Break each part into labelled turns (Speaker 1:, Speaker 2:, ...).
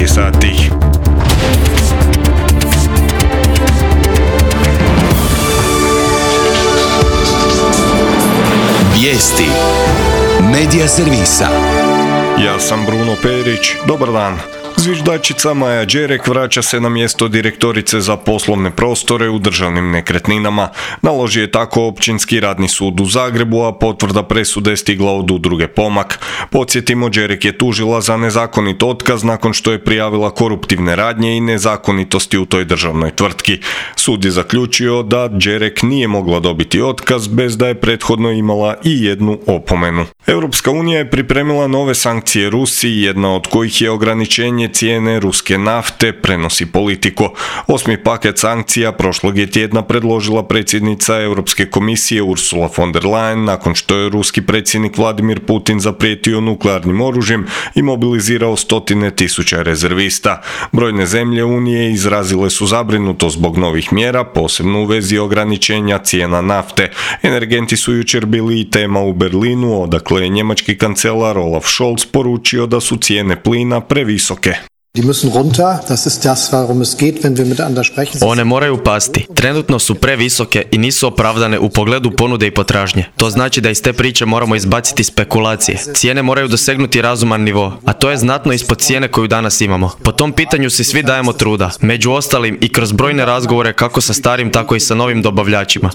Speaker 1: 9 sati.
Speaker 2: Vijesti Medija servisa.
Speaker 1: Ja sam Bruno Perić, dobar dan. Zviždačica Maja Đerek vraća se na mjesto direktorice za poslovne prostore u državnim nekretninama. Naložio je tako Općinski radni sud u Zagrebu, a potvrda presude je stigla od udruge Pomak. Podsjetimo, Đerek je tužila za nezakonit otkaz nakon što je prijavila koruptivne radnje i nezakonitosti u toj državnoj tvrtki. Sud je zaključio da Đerek nije mogla dobiti otkaz bez da je prethodno imala i jednu opomenu. Europska unija je pripremila nove sankcije Rusiji, jedna od kojih je ograničenje cijene ruske nafte, prenosi Politico. 8. paket sankcija prošlog je tjedna predložila predsjednica Europske komisije Ursula von der Leyen nakon što je ruski predsjednik Vladimir Putin zaprijetio nuklearnim oružjem i mobilizirao 100.000 rezervista. Brojne zemlje Unije izrazile su zabrinutost zbog novih mjera, posebno u vezi ograničenja cijena nafte. Energenti su jučer bili i tema u Berlinu, odakle je njemački kancelar Olaf Scholz poručio da su cijene plina previsoke.
Speaker 3: One moraju pasti. Trenutno su previsoke i nisu opravdane u pogledu ponude i potražnje. To znači da iz te priče moramo izbaciti spekulacije. Cijene moraju dosegnuti razuman nivo, a to je znatno ispod cijene koju danas imamo. Po tom pitanju si svi dajemo truda, među ostalim i kroz brojne razgovore kako sa starim, tako i sa novim dobavljačima.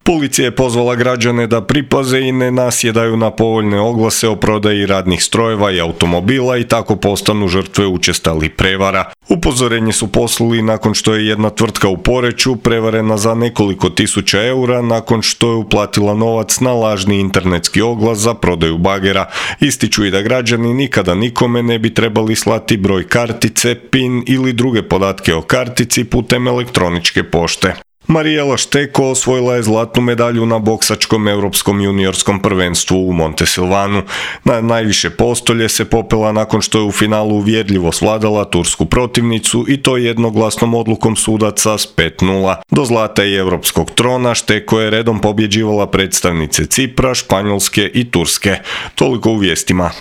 Speaker 1: Policija je pozvala građane da pripaze i ne nasjedaju na povoljne oglase o prodaji radnih strojeva i automobila i tako postanu žrtve učestalih prevara. Upozorenje su poslali nakon što je jedna tvrtka u Poreču prevarena za nekoliko tisuća eura nakon što je uplatila novac na lažni internetski oglas za prodaju bagera. Ističu i da građani nikada nikome ne bi trebali slati broj kartice, PIN ili druge podatke o kartici putem elektroničke pošte. Marijela Šteko osvojila je zlatnu medalju na boksačkom europskom juniorskom prvenstvu u Montesilvanu. Na najviše postolje se popela nakon što je u finalu uvjerljivo svladala tursku protivnicu i to jednoglasnom odlukom sudaca s 5:0. Do zlata i europskog trona Šteko je redom pobjeđivala predstavnice Cipra, Španjolske i Turske. Toliko u vijestima.